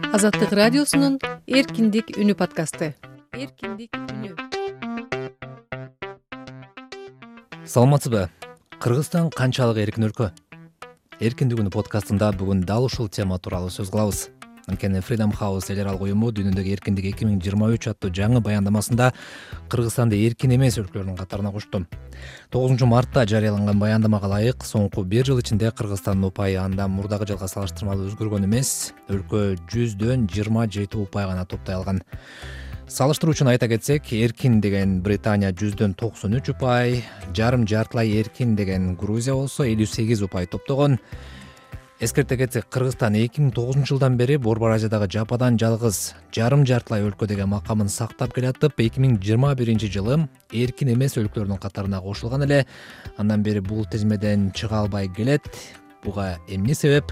Азаттык радиосунун Эркиндик үнү подкасты. Эркиндик үнү. Саламатсызбы? Кыргызстан канчалык эркин өлкө? Эркиндик үнү подкастында бүгүн дал ушул тема тууралуу сөз кылабыз. Анткени Freedom House эл аралык уюму дүйнөдөгү эркиндик 2023 аттуу жаңы баяндамасында Кыргызстанды эркин эмес өлкөлөрдүн катарына кошту. 9 мартта жарыяланган баяндамага ылайык соңку 1 жыл ичинде Кыргызстандын упайы андан мурдагы жылга салыштырмалуу өзгөргөн эмес, өлкө 100дөн 27 упай гана топтой алган. Салыштыруу үчүн айта кетсек, эркин деген Британия 100дөн 93 упай, жарым-жартылай эркин деген Грузия болсо 58 упай топтогон. Эскерте кетсек, Кыргызстан 2009 жылдан бери Борбор Азиядагы жападан жалгыз жарым-жартылай өлкө деген макамын сактап келатып, 2021 жылы эркин эмес өлкөлөрдүн катарына кошулган эле. Андан бери бул тизмеден чыга албай келет. Буга эмне себеп?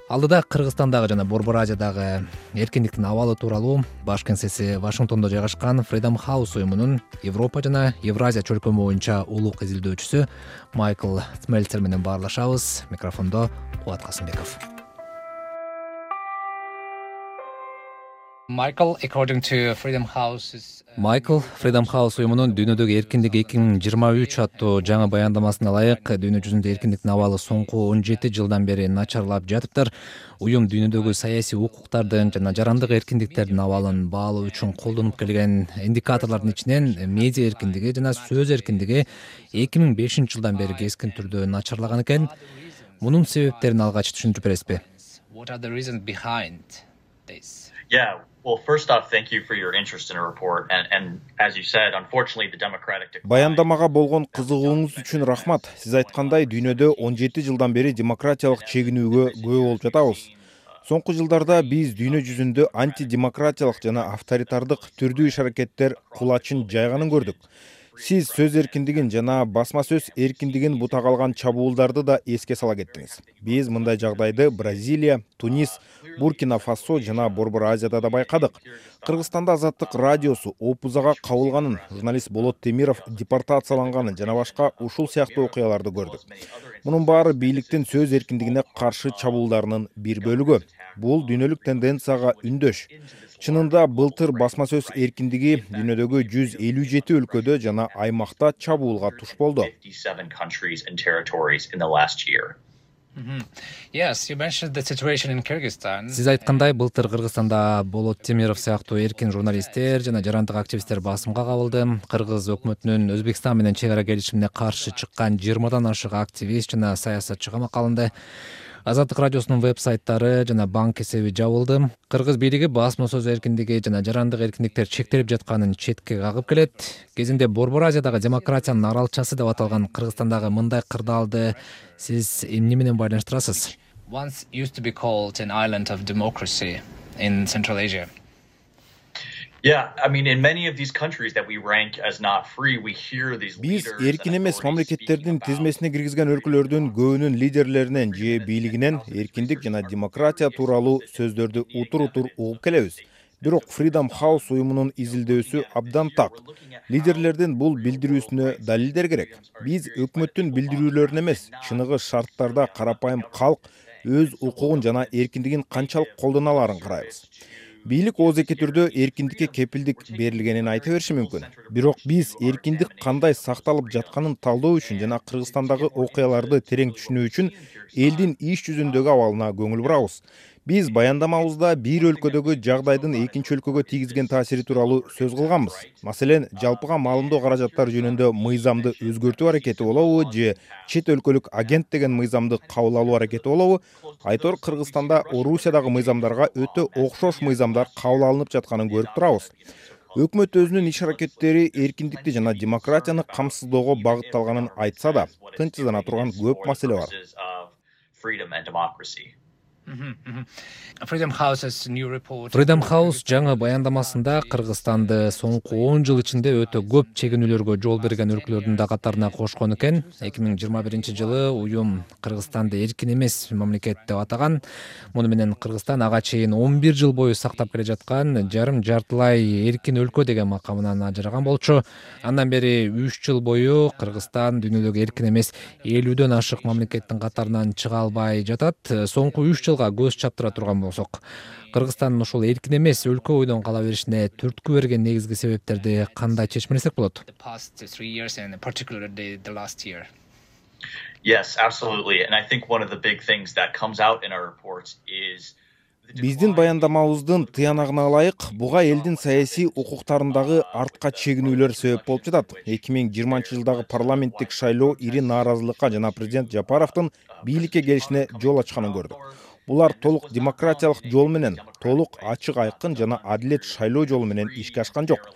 Алдыда Кыргызстандагы жана Борбор Азиядагы эркиндиктин абалы тууралуу баш кеңсеси Вашингтондо жайгашкан Freedom House уюмунун Европа жана Евразия чөлкөмү боюнча улук изилдөөчүсү Майкл Смельцер менен баарлашабыз. Микрофондо Кубат Касымбеков. Майкл, Freedom House уюмунун дүйнөдөгү эркиндик 2023 аттуу жаңы баяндамасына ылайык, дүйнө жүзүндө эркиндиктин абалы соңку 17 жылдан бери начарлап жатыптыр. Уюм дүйнөдөгү саясий укуктардын жана жарандык эркиндиктердин абалын баалоо үчүн колдонуп келген индикаторлордун ичинен медиа эркиндиги жана сөз эркиндиги 2005 жылдан бери кескин түрдө начарлаган экен. Мунун себептерин алгач түшүндүрүп бересизби? Well, first off, thank you for your interest in a report. And as you said, unfortunately, the democratic Баяндамага болгон кызыгууңуз үчүн рахмат. Сиз айткандай, дүйнөдө 17 жылдан бери демократиялык чегинүүгө күбө болуп жатабыз. Соңку жылдарда биз дүйнө жүзүндө антидемократиялык жана авторитардык түрдүү иш-аракеттер кулачын жайганын көрдүк. Сиз сөз эркиндигин жана басма сөз эркиндигин бутак алган чабуулдарды да эске сала кеттиңиз. Биз мындай жагдайды Бразилия, Тунис, Буркина Фасо жана Борбор Азияда да байкадык. Кыргызстанда Азаттык радиосу опузага кабылганын, журналист Болот Темиров депортацияланганын жана башка ушул сыяктуу окуяларды көрдүк. Мунун баары бийликтин сөз эркиндигине каршы чабуулдарынын бир бөлүгү. Бул дүйнөлүк тенденцияга үндөш. Чынында былтыр басма сөз эркиндиги дүйнөдөгү 157 өлкөдө жана аймакта чабуулга туш болду. Сиз айткандай, былтыр Кыргызстанда Болот Темиров сыяктуу эркин журналисттер жана жарандык активисттер басымга кабылды. Кыргыз өкмөтүнүн Өзбекстан менен чек ара келишимине каршы чыккан 20дан ашык активист жана саясатчы камакка алынды. Азаттык радиосунун веб-сайттары жана банк эсеби жабылды. Кыргыз бийлиги басма сөз эркиндиги жана жарандык эркиндиктер чектелип жатканын четке кагып келет. Кезинде Борбор Азиядагы демократиянын аралчасы деп аталган Кыргызстандагы мындай кырдаалды сиз эмне менен байланыштырасыз? Биз эркин эмес мамлекеттердин тизмесине киргизген өлкөлөрдүн көбүнүн лидерлеринен же бийлигинен эркиндик жана демократия тууралуу сөздөрдү утур-утур угуп келебиз. Бирок Freedom House уюмунун изилдөөсү абдан так. Лидерлердин бул билдирүүсүнө далилдер керек. Биз өкмөттүн билдирүүлөрүн эмес, чыныгы шарттарда карапайым калк өз укугун жана эркиндигин канчалык колдоно аларын карайбыз. Бийлик оозеки түрдө эркиндикке кепилдик берилгенин айта бериши мүмкүн. Бирок биз эркиндик кандай сакталып жатканын талдоо үчүн жана Кыргызстандагы окуяларды терең түшүнүү үчүн элдин иш жүзүндөгү абалына көңүл бурабыз. Биз баяндамабызда бир өлкөдөгү жагдайдын экинчи өлкөгө тийгизген таасири тууралуу сөз кылганбыз. Маселен, жалпыга маалымдоо каражаттары жөнүндө мыйзамды өзгөртүү аракети болобу же чет өлкөлүк агент деген мыйзамды кабыл алуу аракети болобу? Айтор Кыргызстанда Орусиядагы мыйзамдарга өтө окшош мыйзамдар кабыл алынып жатканын көрүп турабыз. Өкмөт өзүнүн иш-аракеттери эркиндикти жана демократияны камсыздоого багытталганын айтса да, тынчсыздана турган көп маселе бар. Freedom House жаңы баяндамасында Кыргызстанды соңку 10 жыл ичинде өтө көп чегинүүлөргө жол берген өлкөлөрдүн да катарына кошкон экен. 2021 жылы уюм Кыргызстанды эркин эмес мамлекет деп атаган. Муну менен Кыргызстан ага чейин 11 жыл бою сактап келе жаткан жарым-жартылай эркин өлкө деген макамынан ажыраган болчу. Андан бери 3 жыл бою Кыргызстан дүйнөдөгү эркин эмес 50дөн ашык мамлекеттин катарынан чыга албай жатат. Соңку 3 жыл жылга көз чаптыра турган болсок, Кыргызстандын ушул эркин эмес өлкө бойдон кала беришине түрткү берген негизги себептерди кандай чечмелесек болот? Yes, absolutely. And I think one of the big things that comes out in our reports is Биздин баяндамабыздын тыянагына ылайык, буга элдин саясий укуктарындагы артка чегинүүлөр себеп болуп жатат. 2020-жылдагы парламенттик шайлоо ири нааразылыкка жана президент Жапаровдун бийликке келишине жол ачканын көрдүк. Булар толук демократиялык жол менен, толук ачык айкын жана адилет шайлоо жолу менен ишке ашкан жок.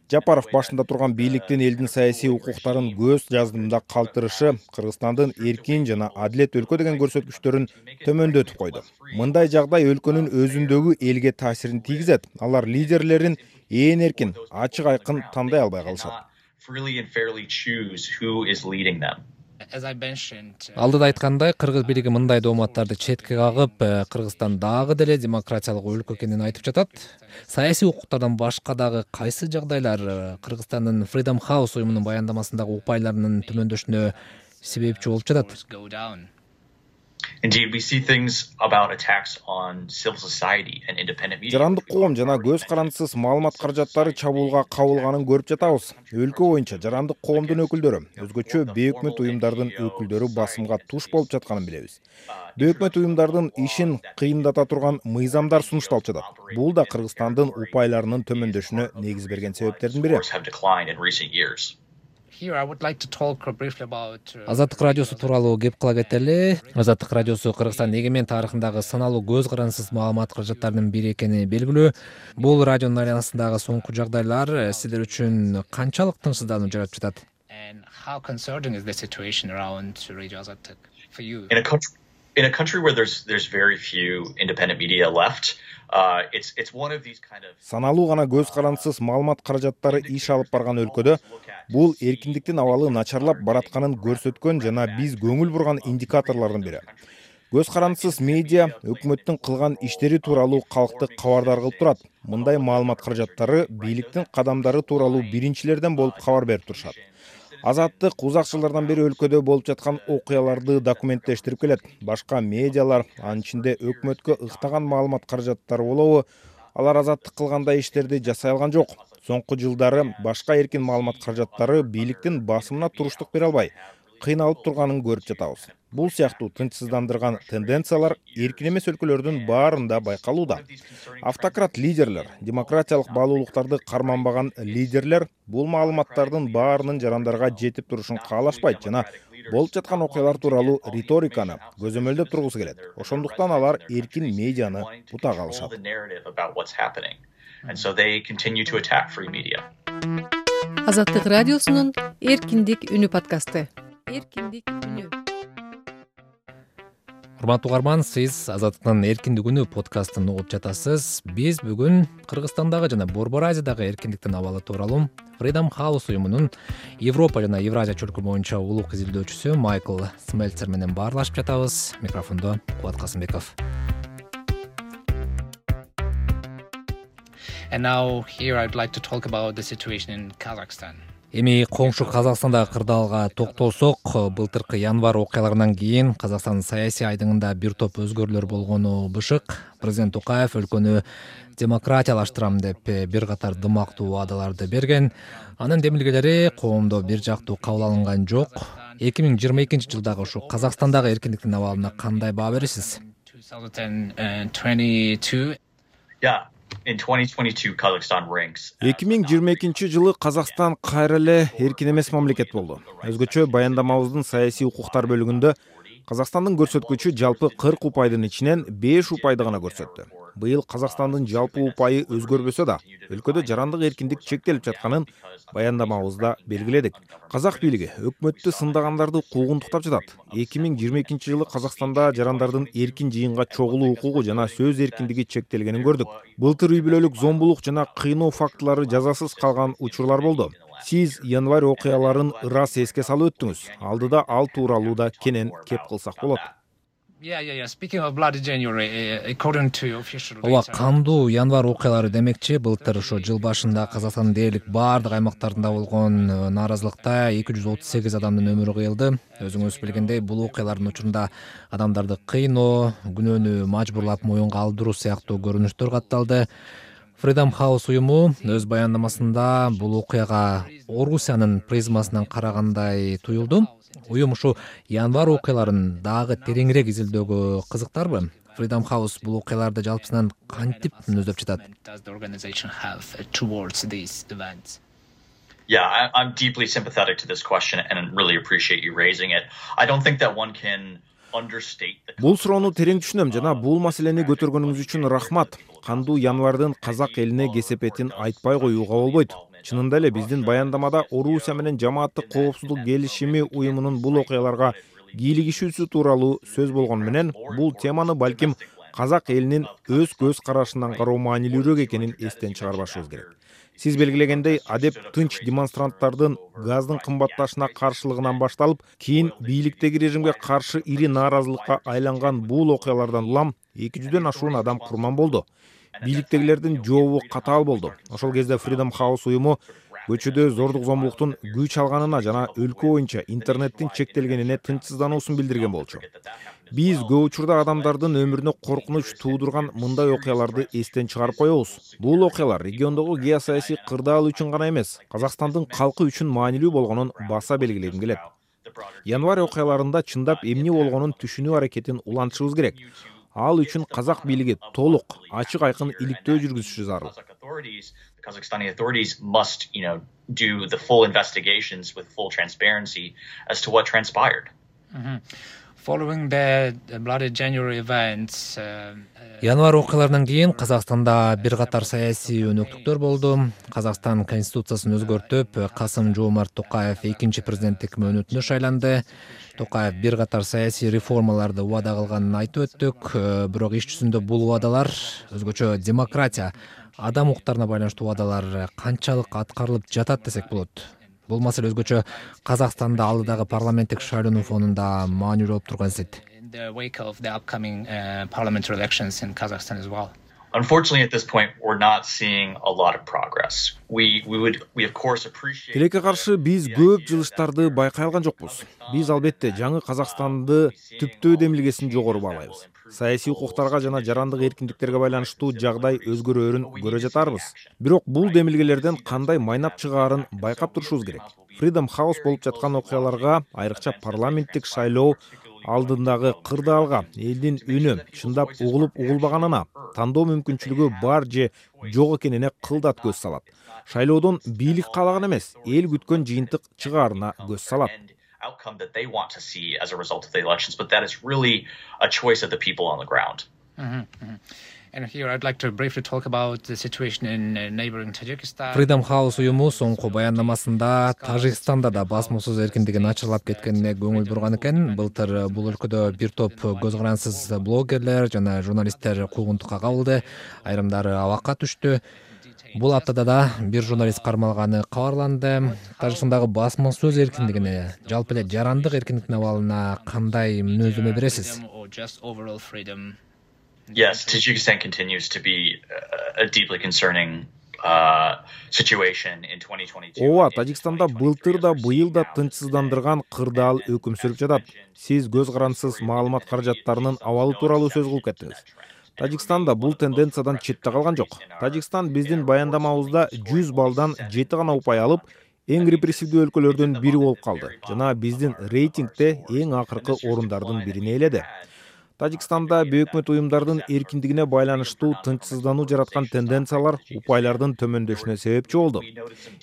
Жапаров башында турган бийликтин элдин саясий укуктарын көз жаздымда калтырышы Кыргызстандын эркин жана адилет өлкө деген көрсөткүчтөрүн төмөндөтүп койду. Мындай жагдай өлкөнүн өзүндөгү элге таасирин тийгизет. Алар лидерлерин ээн эркин, ачык айкын тандай албай калышат. Алдыда айткандай, кыргыз бийлиги мындай дооматтарды четке кагып, Кыргызстан дагы деле демократиялык өлкө экенин айтып жатат. Саясий укуктардан башка дагы кайсы жагдайлар Кыргызстандын Freedom House уюмунун баяндамасындагы упайларынын төмөндөшүнө себепчи болуп жатат? Indeed, we see things about attacks on civil society and independent media. Жарандык коом жана көз карандысыз маалымат каражаттары чабуулга кабылганын көрүп жатабыз. Өлкө боюнча жарандык коомдун өкүлдөрү, өзгөчө бейөкмөт уюмдардын өкүлдөрү басымга туш болуп жатканын билебиз. Бейөкмөт уюмдардын ишин кыйындата турган мыйзамдар сунушталып жатат. Бул да Кыргызстандын упайларынын төмөндөшүнө негиз берген себептердин бири. Азаттык радиосу тууралуу кеп кыла кетели. Азаттык радиосу Кыргызстандын эгемен тарыхындагы саналуу көз карандысыз маалымат каражаттарынын бири экени белгилүү. Бул радионун айланасындагы соңку жагдайлар сиздер үчүн канчалык тынчсыздануу жаратып жатат? In a country where there's very few independent media left, it's one of these kind of Саналуу гана көз карандысыз маалымат каражаттары иш алып барган өлкөдө бул эркиндиктин абалы начарлап баратканын көрсөткөн жана биз көңүл бурган индикаторлордун бири. Көз карандысыз медиа өкмөттүн кылган иштери тууралуу калкты кабардар кылып турат. Мындай маалымат каражаттары бийликтин кадамдары тууралуу биринчилерден болуп кабар берип турушат. Азаттык узак жылдардан бери өлкөдө болуп жаткан окуяларды документтештирип келет. Башка медиалар, анын ичинде өкмөткө ыктаган маалымат каражаттары болобу, алар азаттык кылгандай иштерди жасай алган жок. Соңку жылдары башка эркин маалымат каражаттары бийликтин басымына туруштук бере албай, кыйналып турганын көрүп жатабыз. Бул сыяктуу тынчсыздандырган тенденциялар эркин эмес өлкөлөрдүн баарында байкалууда. Автократ лидерлер, демократиялык баалуулуктарды карманбаган лидерлер бул маалыматтардын баарынын жарандарга жетип турушун каалашпайт жана болуп жаткан окуялар тууралуу риториканы көзөмөлдөп тургусу келет. Ошондуктан алар эркин медианы бутага алышат. Азаттык радиосунун Эркиндик үнү подкасты. Эркиндик үнү. Урматтуу угарман, сиз Азаттыктын Эркиндик үнү подкастын угуп жатасыз. Биз бүгүн Кыргызстандагы жана Борбор Азиядагы эркиндиктин абалы тууралуу Freedom House уюмунун Европа жана Евразия чөлкө боюнча улук изилдөөчүсү Майкл Смельцер менен баарлашып жатабыз. Микрофондо Кубат Касымбеков. And now here I'd like to talk about the situation in Kazakhstan. Эми коңшу Казакстандагы кырдаалга токтолсок, былтыркы январь окуяларынан кийин Казакстандын саясий айдыңында бир топ өзгөрүүлөр болгону бышык. Президент Токаев өлкөнү демократиялаштырам деп бир катар дымактуу убадаларды берген. Анын демилгелери коомдо бир жактуу кабыл алынган жок. 2022-жылдагы ушу Казакстандагы эркиндиктин абалына кандай баа бересиз? 2022. Yeah. In 2022, Kazakhstan ranks. 2022-жылы Казакстан кайра эле эркин эмес мамлекет болду. Өзгөчө баяндамабыздын саясий укуктар бөлүгүндө Казакстандын көрсөткүчү жалпы 40 упайдын ичинен 5 упайды гана көрсөттү. Быйыл Казакстандын жалпы упайы өзгөрбөсө да, өлкөдө жарандык эркиндик чектелип жатканын баяндамабызда белгиледик. Казак бийлиги өкмөттү сындагандарды куугунтуктап жатат. 2022-жылы Казакстанда жарандардын эркин жыйынга чогулуу укугу жана сөз эркиндиги чектелгенин көрдүк. Былтыр үй бүлөлүк зомбулук жана кыйноо фактылары жазасыз калган учурлар болду. Сиз январь окуяларын ырас эске салып өттүңүз. Алдыда ал тууралуу да кенен кеп кылсак болот. Speaking of Bloody January, according to official ооба, data, кандуу январь окуялары демекчи, былтыр ошо жыл башында Казакстандын дээрлик баардык аймактарында болгон нааразылыкта 238 адамдын өмүрү кыйылды. Өзүңүз билгендей, бул окуялардын учурунда адамдарды кыйноо, күнөөнү мажбурлап моюнга алдыруу сыяктуу көрүнүштөр катталды. Freedom House уюму өз баяндамасында бул окуяга Орусиянын призмасынан карагандай туюлду. Уюм ушу январь окуяларын дагы тереңирээк изилдөөгө кызыктарбы? Freedom House бул окуяларды жалпысынан кантип мүнөздөп жатат? does the organization have towards these events? Yeah, I'm deeply sympathetic to this question and really appreciate you raising it. I don't think that one can understate the... Бул суроону терең түшүнөм жана бул маселени көтөргөнүңүз үчүн рахмат. Кандуу январдын казак элине кесепетин айтпай коюуга болбойт. Чынында эле биздин баяндамада Орусия менен жамааттык коопсуздук келишими уюмунун бул окуяларга кийлигишүүсү тууралуу сөз болгон менен, бул теманы балким казак элинин өз көз карашынан кароо маанилүүрөөк экенин эстен чыгарбашыбыз керек. Сиз белгилегендей, адеп тынч демонстранттардын газдын кымбатташына каршылыгынан башталып, кийин бийликтеги режимге каршы ири нааразылыкка айланган бул окуялардан улам 200дөн ашуун адам курман болду. Бийликтегилердин жообу катаал болду. Ошол кезде Freedom House уюму көчөдө зордук зомбулуктун күч алганына жана өлкө боюнча интернеттин чектелгенине тынчсыздануусун билдирген болчу. Биз көп учурда адамдардын өмүрүнө коркунуч туудурган мындай окуяларды эстен чыгарып коебуз. Бул окуялар региондогу геосаясий кырдаал үчүн гана эмес, Казакстандын калкы үчүн маанилүү болгонун баса белгилегим келет. Январь окуяларында чындап эмне болгонун түшүнүү аракетин улантышыбыз керек. Ал үчүн казак бийлиги толук, ачык айкын иликтөө жүргүзүшү зарыл. Kazakhstani authorities must, do the full investigations with full transparency as to what transpired. Following the Bloody January events, Январь окуяларынан кийин Казакстанда бир катар саясий өнөктүктөр болду. Казакстан конституциясын өзгөртүп, Касым-Жомарт Токаев экинчи президенттик мөөнөтүнө шайланды. Токаев бир катар саясий реформаларды убада кылганын айтып өттүк. Бирок иш жүзүндө бул убадалар, өзгөчө демократия, адам укуктарына байланыштуу убадалар канчалык аткарылып жатат десек болот. Бул маселе өзгөчө Казакстанда алдыдагы парламенттик шайлоонун фонунда маанилүү болуп турган сет. in the wake of the upcoming parliamentary elections in Kazakhstan as well. Unfortunately, at this point, we're not seeing a lot of progress. We of course appreciate... Тилекке каршы биз көп жылыштарды байкай алган жокпуз. Биз албетте жаңы Казакстанды түптөө демилгесин жогору баалайбыз. Саясий укуктарга жана жарандык эркиндиктерге байланыштуу жагдай өзгөрөөрүн көрө жатарбыз. Бирок бул демилгелерден кандай майнап чыгаарын байкап турушубуз керек. Freedom House болуп жаткан окуяларга, айрыкча парламенттик шайлоо алдындагы кырдаалга элдин үнү чындап угулуп-угулбаганына, тандоо мүмкүнчүлүгү бар же жок экенине кылдат көз салат. Шайлоодон бийлик каалаган эмес, эл күткөн жыйынтык чыгаарына көз салат. Outcome that they want to see as a result of the elections, but that is really a choice of the people on the ground. And here I'd like to briefly talk about the situation in neighboring Tajikistan. Freedom House уюму соңку баяндамасында Тажикстанда да басма сөз эркиндиги начарлап кеткенине көңүл бурган экен. Былтыр бул өлкөдө бир топ көз карансыз блогерлер жана журналисттер куугунтукка кабылды, айрымдары абакка түштү. Бул аптада да бир журналист кармалганы кабарланды. Тажикстандагы басма сөз эркиндигине, жалпы эле жарандык эркиндиктин абалына кандай мүнөздөмө бересиз? Or just overall freedom? Yes, Tajikistan continues to be a deeply concerning situation in 2022. Ооба, Тажикстанда былтыр да быйыл да тынчсыздандырган кырдаал өкүм сүрүп жатат. Сиз көз карансыз маалымат каражаттарынын абалы тууралуу сөз кылып кеттиңиз. Тажикстанда бул тенденциядан четте калган жок. Тажикстан биздин баяндамабызда 100 балдан 7 гана упай алып, эң репрессивдүү өлкөлөрдүн бири болуп калды жана биздин рейтингде эң акыркы орундардын бирине ээледи. Тажикстанда бейөкмөт уюмдардын эркиндигине байланыштуу тынчсыздануу жараткан тенденциялар упайлардын төмөндөшүнө себепчи болду.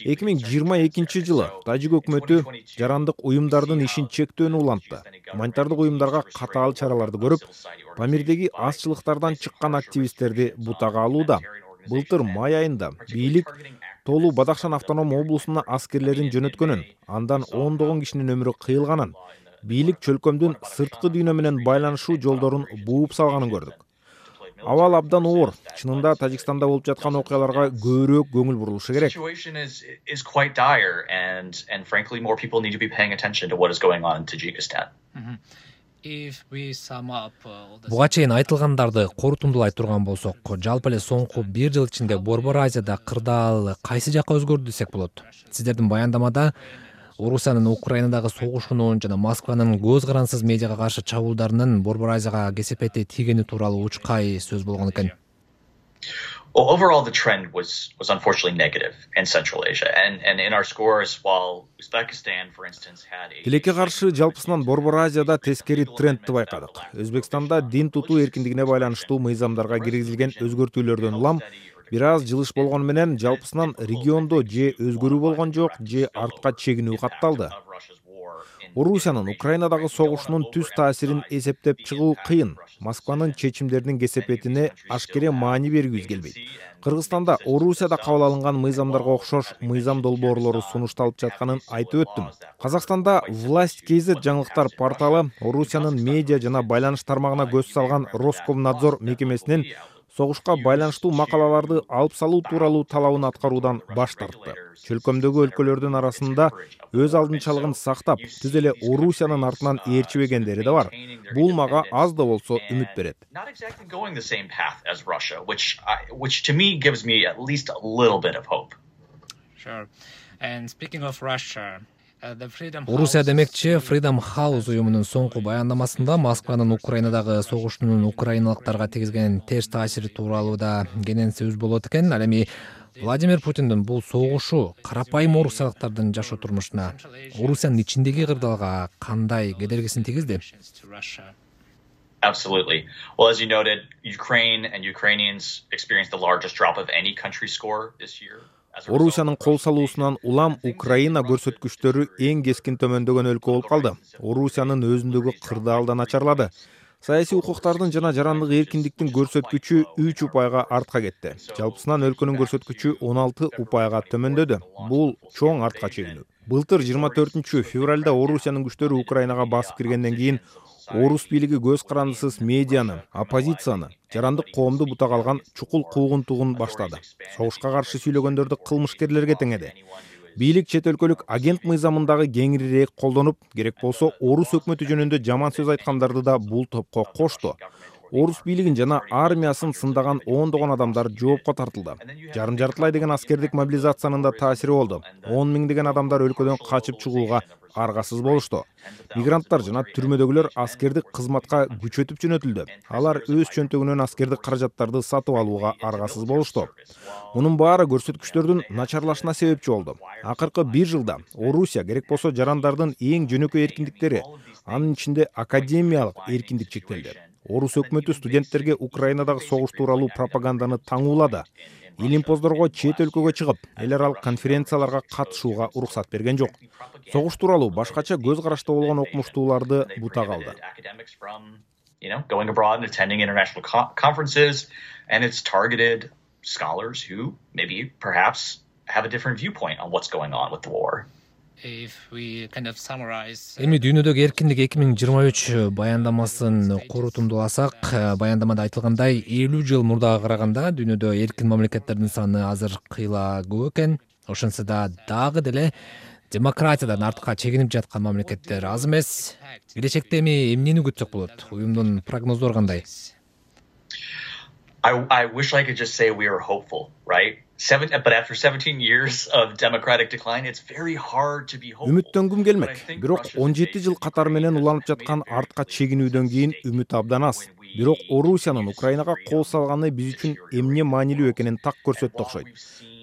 2022 жылы Тажик өкмөтү жарандык уюмдардын ишин чектөөнү улантты. Гуманитардык уюмдарга катаал чараларды көрүп, Памирдеги азчылыктардан чыккан активисттерди бутага алууда. Былтыр май айында бийлик Толу Бадахшан автоном облусуна аскерлерин жөнөткөнүн, андан ондогон кишинин өмүрү кыйылганын, бийлик чөлкөмдүн сырткы дүйнө менен байланышуу жолдорун бууп салганын көрдүк. Абал абдан оор. Чынында Тажикстанда болуп жаткан окуяларга көбүрөөк көңүл бурулушу керек. The situation is quite dire, and frankly, more people need to be paying attention to what is going on in Tajikistan. Буга чейин айтылгандарды корутундулай турган болсок, жалпы эле соңку 1 жыл ичинде Борбор Азияда кырдаал кайсы жакка өзгөрдү десек болот? Сиздердин баяндамада Орусиянын Украинадагы согушунун жана Москванын көз карансыз медиага каршы чабуулдарынын Борбор Азияга кесепети тийгени тууралуу учкай сөз болгон экен. Well, overall, the trend was unfortunately negative in Central Asia. And in our scores, while Uzbekistan, for instance, had a... Тилекке каршы жалпысынан Борбор Азияда тескери трендти байкадык. Өзбекстанда дин тутуу эркиндигине байланыштуу мыйзамдарга киргизилген өзгөртүүлөрдөн улам бир аз жылыш болгону менен жалпысынан региондо же өзгөрүү болгон жок, же артка чегинүү катталды. Орусиянын Украинадагы согушунун түз таасирин эсептеп чыгуу кыйын. Москванын чечимдеринин кесепетине ашкере маани бергибиз келбейт. Кыргызстанда Орусияда кабыл алынган мыйзамдарга окшош мыйзам долбоорлору сунушталып жатканын айтып өттүм. Казакстанда Власть KZ жаңылыктар порталы Орусиянын медиа жана байланыш тармагына көз салган Роскомнадзор мекемесинин согушка байланыштуу макалаларды алып салуу тууралуу талабын аткаруудан баш тартты. Чөлкөмдөгү өлкөлөрдүн арасында өз алдынчалыгын сактап, түз эле Орусиянын артынан ээрчибегендери да бар. Бул мага аз да болсо үмүт берет. Not exactly going the same path as Russia, which to me gives me at least a little bit of hope. Sure. And speaking of Russia, Орусия демекчи Freedom House уюмунун соңку баяндамасында Москванын Украинадагы согушунун украиналыктарга тийгизген терс таасири тууралуу да кенен сөз болот экен. Ал эми Владимир Путиндин бул согушу карапайым орусиялыктардын жашоо турмушуна, Орусиянын ичиндеги кырдаалга кандай кедергисин тийгизди? Absolutely. Well, as you noted, Ukraine and Ukrainians experienced the largest drop of any country score this year. Орусиянын кол салуусунан улам Украина көрсөткүчтөрү эң кескин төмөндөгөн өлкө болуп калды. Орусиянын өзүндөгү кырдаалдан начарлады. Саясий укуктардын жана жарандык эркиндиктин көрсөткүчү 3 упайга артка кетти. Жалпысынан өлкөнүн көрсөткүчү 16 упайга төмөндөдү. Бул чоң артка чегинүү. Былтыр 24 февралда Орусиянын күчтөрү Украинага басып киргенден кийин Орус бийлиги көз карандысыз медианы, оппозицияны, жарандык коомду бутак алган чукул куугунтугун баштады. Согушка каршы сүйлөгөндөрдү кылмышкерлерге теңеди. Бийлик чет өлкөлүк агент мыйзамындагы кеңирээк колдонуп, керек болсо Орус өкмөтү жөнүндө жаман сөз айткандарды да бул топко кошту. Орус бийлигин жана армиясын сындаган ондогон адамдар жоопко тартылды. Жарым-жартылай деген аскердик мобилизациянын да таасири болду. 10 миңдеген адамдар өлкөдөн качып чыгууга аргасыз болушту. Мигранттар жана түрмөдөгүлөр аскердик кызматка күчөтүп жөнөтүлдү. Алар өз чөнтөгүнөн аскердик каражаттарды сатып алууга аргасыз болушту. Мунун баары көрсөткүчтөрдүн начарлашына себепчи болду. Акыркы 1 жылда Орусия керек болсо жарандардын эң жөнөкөй эркиндиктери, анын ичинде академиялык эркиндик чектелди. Орус өкмөтү студенттерге Украинадагы согуш тууралуу пропаганданы таңуулады. Илимпоздорго чет өлкөгө чыгып, эл аралык конференцияларга катышууга уруксат берген жок. Согуш тууралуу башкача көз карашта болгон окумуштууларды бутак алды. Going abroad and attending international conferences, and it's targeted scholars who maybe perhaps have a different viewpoint on what's going on with the war. Эми дүйнөдөгү эркиндик 2023 баяндамасын корутундуласак, баяндамада айтылгандай 50 жыл мурдага караганда дүйнөдө эркин мамлекеттердин саны азыр кыйла көп экен. Ошентсе да дагы деле демократиядан артка чегинип жаткан мамлекеттер аз эмес. Келечекте эми эмнени күтсөк болот? Уюмдун прогноздору кандай? I wish I could just say we are hopeful, right? But after 17 years of democratic decline, it's very hard to be hopeful. Үмүттөнгүм келмек. Бирок 17 жыл катар менен уланып жаткан артка чегинүүдөн кийин үмүт абдан аз. Бирок Орусиянын Украинага кол салганы биз үчүн эмне маанилүү экенин так көрсөттү окшойт.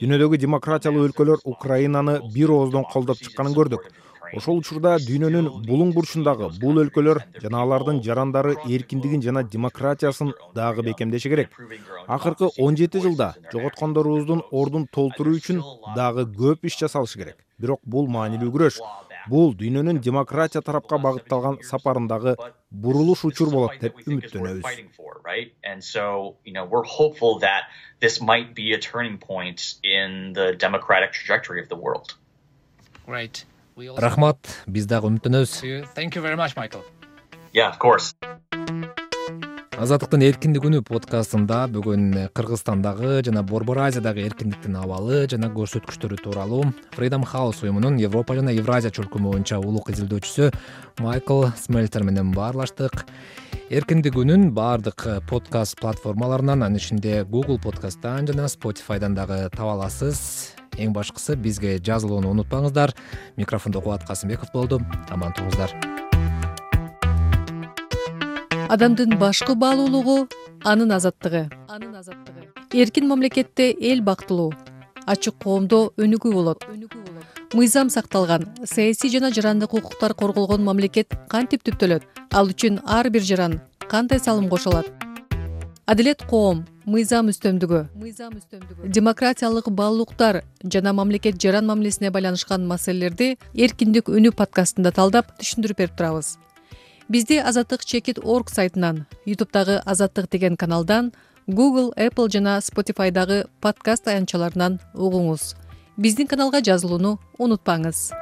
Дүйнөдөгү демократиялуу өлкөлөр Украинаны бир ооздон колдоп чыкканын көрдүк. Ошол учурда дүйнөнүн булуң бурчундагы бул өлкөлөр жана алардын жарандары эркиндигин жана демократиясын дагы бекемдеши керек. Акыркы 17 жылда жоготкондорубуздун ордун толтуруу үчүн дагы көп иш жасалышы керек. Бирок бул маанилүү күрөш. Бул дүйнөнүн демократия тарапка багытталган сапарындагы бурулуш учур болот деп үмүттөнөбүз. And so, we're hopeful that this might be a turning point in the democratic trajectory of the world. Right. Рахмат, биз дагы үмүттөнөбүз. Thank you very much, Michael. Yeah, of course. Азаттыктын эркиндик үнү подкастында бүгүн Кыргызстандагы жана Борбор Азиядагы эркиндиктин абалы жана көрсөткүчтөрү тууралуу Freedom House уюмунун Европа жана Евразия чөлкөмү боюнча улук изилдөөчүсү Майкл Смельтер менен баарлаштык. Эркиндик үнүн баардык подкаст платформаларынан, анын ичинде Google подкасттан жана Spotify'дан дагы таба аласыз. Эң башкысы бизге жазылууну унутпаңыздар. Микрофондо Кубат Касымбеков болду. Аман туруңуздар. Адамдын башкы баалуулугу анын азаттыгы. Эркин мамлекетте эл бактылуу, ачык коомдо өнүгүү болот. Мыйзам сакталган, саясий жана жарандык укуктар корголгон мамлекет кантип түптөлөт? Ал үчүн ар бир жаран кандай салым кошо алат? Адилет коом, мыйзам үстөмдүгү, демократиялык баалуулуктар жана мамлекет жаран мамилесине байланышкан маселелерди Эркиндик үнү подкастында талдап түшүндүрүп берип турабыз. Бизди Azatlyk.org сайтынан, YouTube'дагы Azatlyk деген каналдан, Google, Apple жана Spotify'дагы подкаст аянтчаларынан угуңуз. Биздин каналга жазылууну унутпаңыз.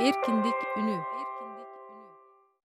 Эркиндик үнү.